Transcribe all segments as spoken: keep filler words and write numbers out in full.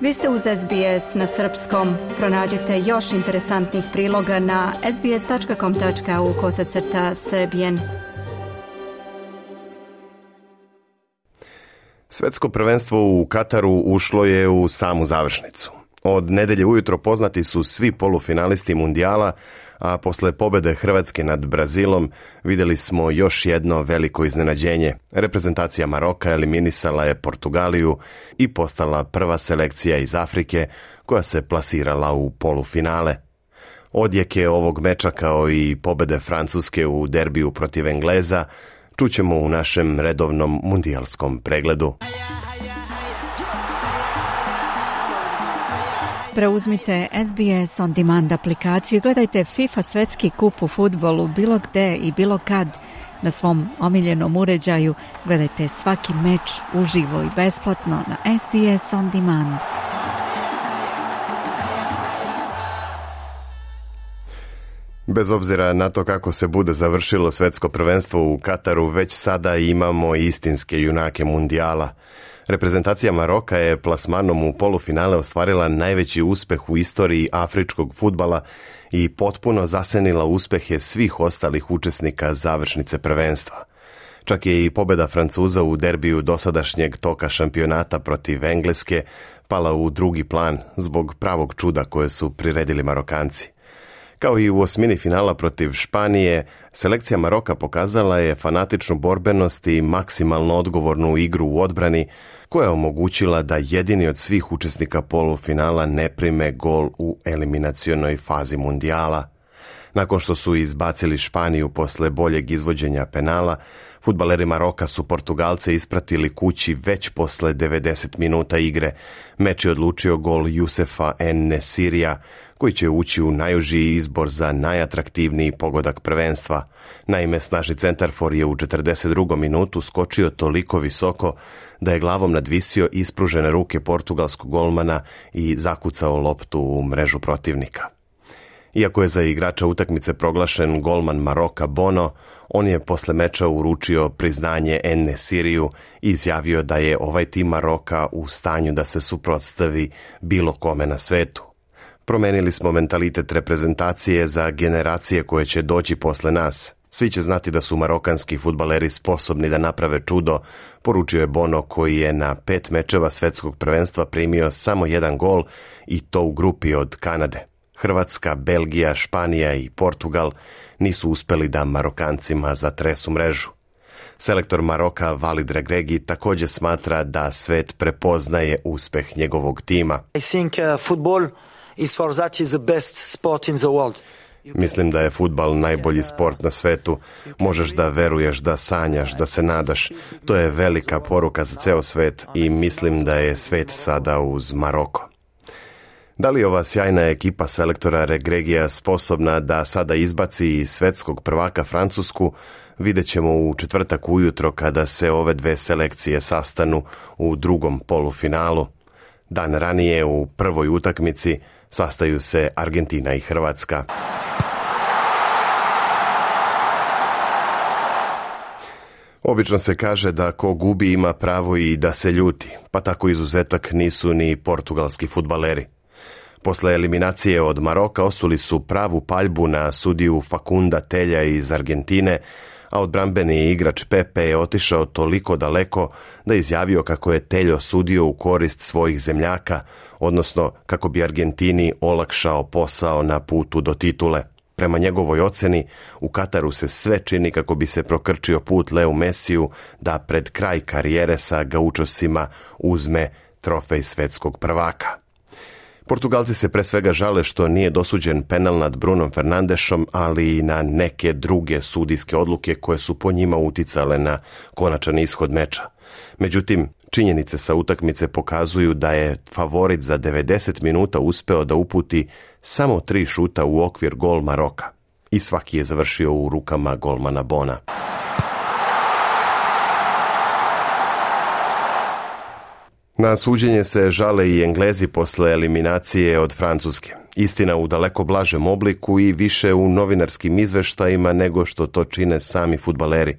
Vi ste uz S B S na srpskom. Pronađite još interesantnih priloga na sbs.com.au kosacrta srbijen. Svetsko prvenstvo u Kataru ušlo je u samu završnicu. Od nedelje ujutro poznati su svi polufinalisti mundijala, a posle pobede Hrvatske nad Brazilom vidjeli smo još jedno veliko iznenađenje. Reprezentacija Maroka eliminisala je Portugaliju i postala prva selekcija iz Afrike koja se plasirala u polufinale. Odjeke ovog meča kao i pobede Francuske u derbiju protiv Engleza čućemo u našem redovnom mundijalskom pregledu. Preuzmite S B S On Demand aplikaciju i gledajte FIFA svetski kup u fudbalu bilo gde i bilo kad na svom omiljenom uređaju. Gledajte svaki meč uživo i besplatno na S B S On Demand. Bez obzira na to kako se bude završilo svetsko prvenstvo u Kataru, već sada imamo istinske junake mundijala. Reprezentacija Maroka je plasmanom u polufinale ostvarila najveći uspeh u istoriji afričkog fudbala i potpuno zasenila uspehe svih ostalih učesnika završnice prvenstva. Čak je i pobjeda Francuza u derbiju dosadašnjeg toka šampionata protiv Engleske pala u drugi plan zbog pravog čuda koje su priredili Marokanci. Kao i u osmini finala protiv Španije, selekcija Maroka pokazala je fanatičnu borbenost i maksimalno odgovornu igru u odbrani, koja je omogućila da jedini od svih učesnika polufinala ne prime gol u eliminacionoj fazi mundijala. Nakon što su izbacili Španiju posle boljeg izvođenja penala, fudbaleri Maroka su Portugalce ispratili kući već posle devedeset minuta igre. Meč je odlučio gol Yousefa En-Nesirija, koji će ući u najužiji izbor za najatraktivniji pogodak prvenstva. Naime, snažni centarfor je u četrdeset drugom minutu skočio toliko visoko da je glavom nadvisio ispružene ruke portugalskog golmana i zakucao loptu u mrežu protivnika. Iako je za igrača utakmice proglašen golman Maroka Bono, on je posle meča uručio priznanje En-Nesiriju i izjavio da je ovaj tim Maroka u stanju da se suprotstavi bilo kome na svetu. Promenili smo mentalitet reprezentacije za generacije koje će doći posle nas. Svi će znati da su marokanski fudbaleri sposobni da naprave čudo, poručio je Bono, koji je na pet mečeva svetskog prvenstva primio samo jedan gol i to u grupi od Kanade. Hrvatska, Belgija, Španija i Portugal nisu uspeli da Marokancima zatresu mrežu. Selektor Maroka Walid Regragui također smatra da svet prepoznaje uspeh njegovog tima. I think uh, football is for that is the best sport in the world. Mislim da je fudbal najbolji sport na svetu. Možeš da veruješ, da sanjaš, da se nadaš. To je velika poruka za ceo svet i mislim da je svet sada uz Maroko. Da li ova sjajna ekipa selektora Regraguija sposobna da sada izbaci svetskog prvaka Francusku, vidjet ćemo u četvrtak ujutro kada se ove dve selekcije sastanu u drugom polufinalu. Dan ranije u prvoj utakmici sastaju se Argentina i Hrvatska. Obično se kaže da ko gubi ima pravo i da se ljuti, pa tako izuzetak nisu ni portugalski fudbaleri. Posle eliminacije od Maroka osuli su pravu paljbu na sudiju Facunda Telja iz Argentine, a odbrambeni igrač Pepe je otišao toliko daleko da je izjavio kako je Teljo sudio u korist svojih zemljaka, odnosno kako bi Argentini olakšao posao na putu do titule. Prema njegovoj oceni, u Kataru se sve čini kako bi se prokrčio put Leu Mesiju da pred kraj karijere sa gaučosima uzme trofej svetskog prvaka. Portugalci se pre svega žale što nije dosuđen penal nad Brunom Fernandešom, ali i na neke druge sudijske odluke koje su po njima uticale na konačan ishod meča. Međutim, činjenice sa utakmice pokazuju da je favorit za devedeset minuta uspeo da uputi samo tri šuta u okvir gol Maroka i svaki je završio u rukama golmana Bona. Na suđenje se žale i Englezi posle eliminacije od Francuske. Istina u daleko blažem obliku i više u novinarskim izveštajima nego što to čine sami fudbaleri.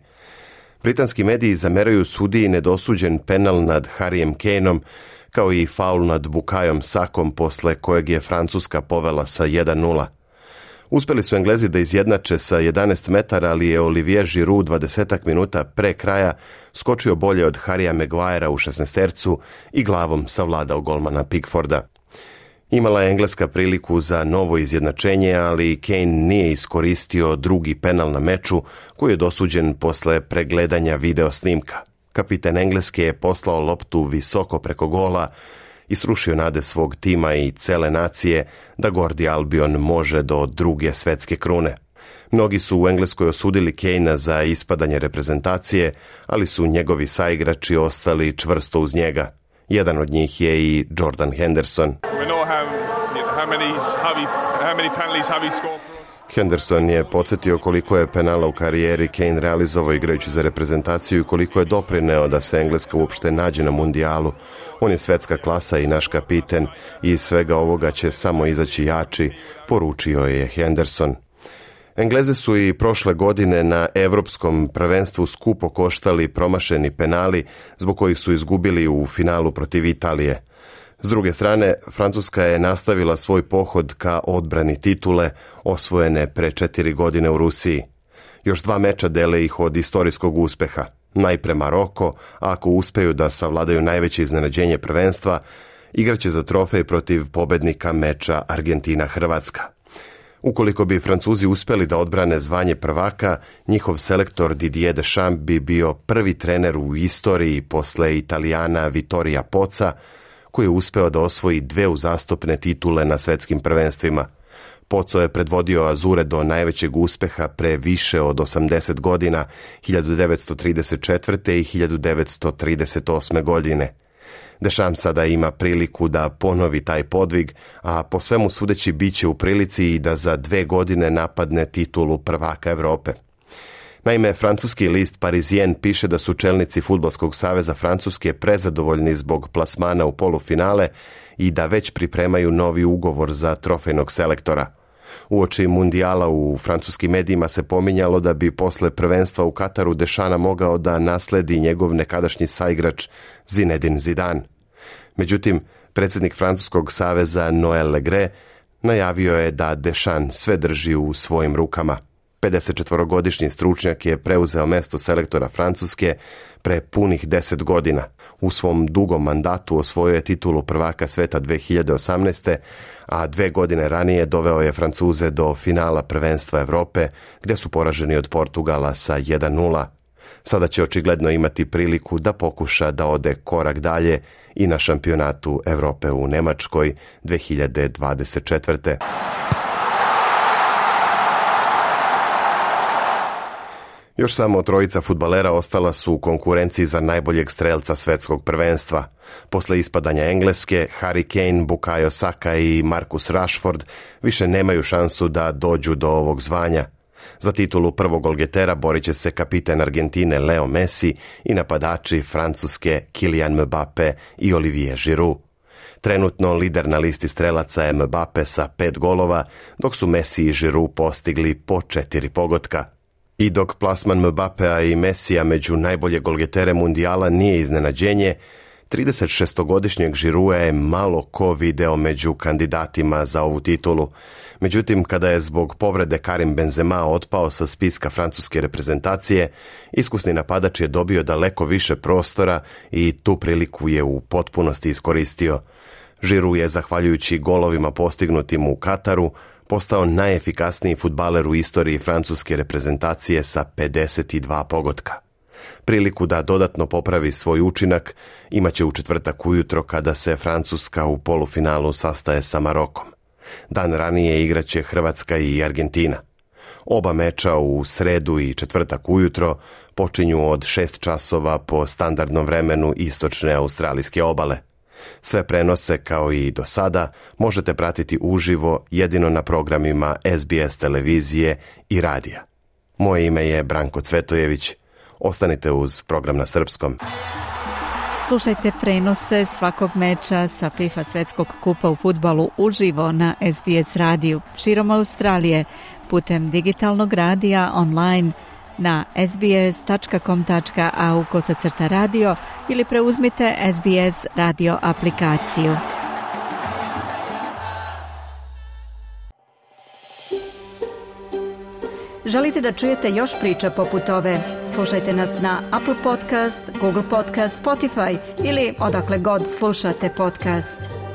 Britanski mediji zameraju sudiji nedosuđen penal nad Harryem Kaneom, kao i faul nad Bukayom Sakom, posle kojeg je Francuska povela sa jedan nula. Uspeli su Englezi da izjednače sa jedanaest metara, ali je Olivier Giroud dvadesetak minuta pre kraja skočio bolje od Harrya Maguirea u šesnaestercu i glavom savladao golmana Pickforda. Imala je Engleska priliku za novo izjednačenje, ali Kane nije iskoristio drugi penal na meču koji je dosuđen posle pregledanja video snimka. Kapitan Engleske je poslao loptu visoko preko gola i srušio nade svog tima i cele nacije da Gordi Albion može do druge svetske krune. Mnogi su u Engleskoj osudili Kanea za ispadanje reprezentacije, ali su njegovi saigrači ostali čvrsto uz njega. Jedan od njih je i Jordan Henderson. Henderson je podsjetio koliko je penala u karijeri Kane realizovao igrajući za reprezentaciju i koliko je doprineo da se Engleska uopšte nađe na mundijalu. On je svetska klasa i naš kapiten i iz svega ovoga će samo izaći jači, poručio je Henderson. Engleze su i prošle godine na evropskom prvenstvu skupo koštali promašeni penali zbog kojih su izgubili u finalu protiv Italije. S druge strane, Francuska je nastavila svoj pohod ka odbrani titule osvojene pre četiri godine u Rusiji. Još dva meča dele ih od istorijskog uspeha. Najpre Maroko, a ako uspeju da savladaju najveće iznenađenje prvenstva, igraće za trofej protiv pobednika meča Argentina-Hrvatska. Ukoliko bi Francuzi uspeli da odbrane zvanje prvaka, njihov selektor Didier Deschamps bi bio prvi trener u istoriji posle Italijana Vittoria Pozza, koji je uspeo da osvoji dve uzastopne titule na svetskim prvenstvima. Pozzo je predvodio Azure do najvećeg uspeha pre više od osamdeset godina, hiljadu devetsto trideset četvrte. i hiljadu devetsto trideset osme. godine. Deschamps sada ima priliku da ponovi taj podvig, a po svemu sudeći biće u prilici i da za dve godine napadne titulu prvaka Evrope. Naime, francuski list Parisien piše da su čelnici Fudbalskog saveza Francuske prezadovoljni zbog plasmana u polufinale i da već pripremaju novi ugovor za trofejnog selektora. Uoči mundijala u francuskim medijima se pominjalo da bi posle prvenstva u Kataru Dešana mogao da nasledi njegov nekadašnji saigrač Zinedine Zidane. Međutim, predsjednik Francuskog saveza Noël Le Gret najavio je da Deschamps sve drži u svojim rukama. pedesetčetvorogodišnji stručnjak je preuzeo mesto selektora Francuske pre punih deset godina. U svom dugom mandatu osvojio je titulu prvaka sveta dve hiljade osamnaeste. a dve godine ranije doveo je Francuze do finala prvenstva Evrope, gdje su poraženi od Portugala sa jedan nula. Sada će očigledno imati priliku da pokuša da ode korak dalje i na šampionatu Evrope u Nemačkoj dve hiljade dvadeset četvrte. Još samo trojica fudbalera ostala su u konkurenciji za najboljeg strelca svetskog prvenstva. Posle ispadanja Engleske, Harry Kane, Bukayo Saka i Marcus Rashford više nemaju šansu da dođu do ovog zvanja. Za titulu prvog golgetera borit će se kapiten Argentine Leo Messi i napadači Francuske Kylian Mbappe i Olivier Giroud. Trenutno lider na listi strelaca je Mbappe sa pet golova, dok su Messi i Giroud postigli po četiri pogotka. I dok plasman Mbappea i Messija među najbolje golgetere mundijala nije iznenađenje, tridesetšestogodišnjeg Girouda je malo ko video među kandidatima za ovu titulu. Međutim, kada je zbog povrede Karim Benzema otpao sa spiska francuske reprezentacije, iskusni napadač je dobio daleko više prostora i tu priliku je u potpunosti iskoristio. Giroud je, zahvaljujući golovima postignutim u Kataru, postao najefikasniji fudbaler u istoriji francuske reprezentacije sa pedeset dva pogotka. Priliku da dodatno popravi svoj učinak imaće u četvrtak ujutro kada se Francuska u polufinalu sastaje sa Marokom. Dan ranije igraće Hrvatska i Argentina. Oba meča u sredu i četvrtak ujutro počinju od šest časova po standardnom vremenu istočne australijske obale. Sve prenose, kao i do sada, možete pratiti uživo jedino na programima S B S televizije i radija. Moje ime je Branko Cvetojević. Ostanite uz program na srpskom. Slušajte prenose svakog meča sa FIFA svetskog kupa u fudbalu uživo na S B S radiju širom Australije, putem digitalnog radija, online, na sbs tačka com tačka a u kosacrta radio ili preuzmite S B S radio aplikaciju. Želite da čujete još priča poput ove? Slušajte nas na Apple Podcast, Google Podcast, Spotify ili odakle god slušate podcast.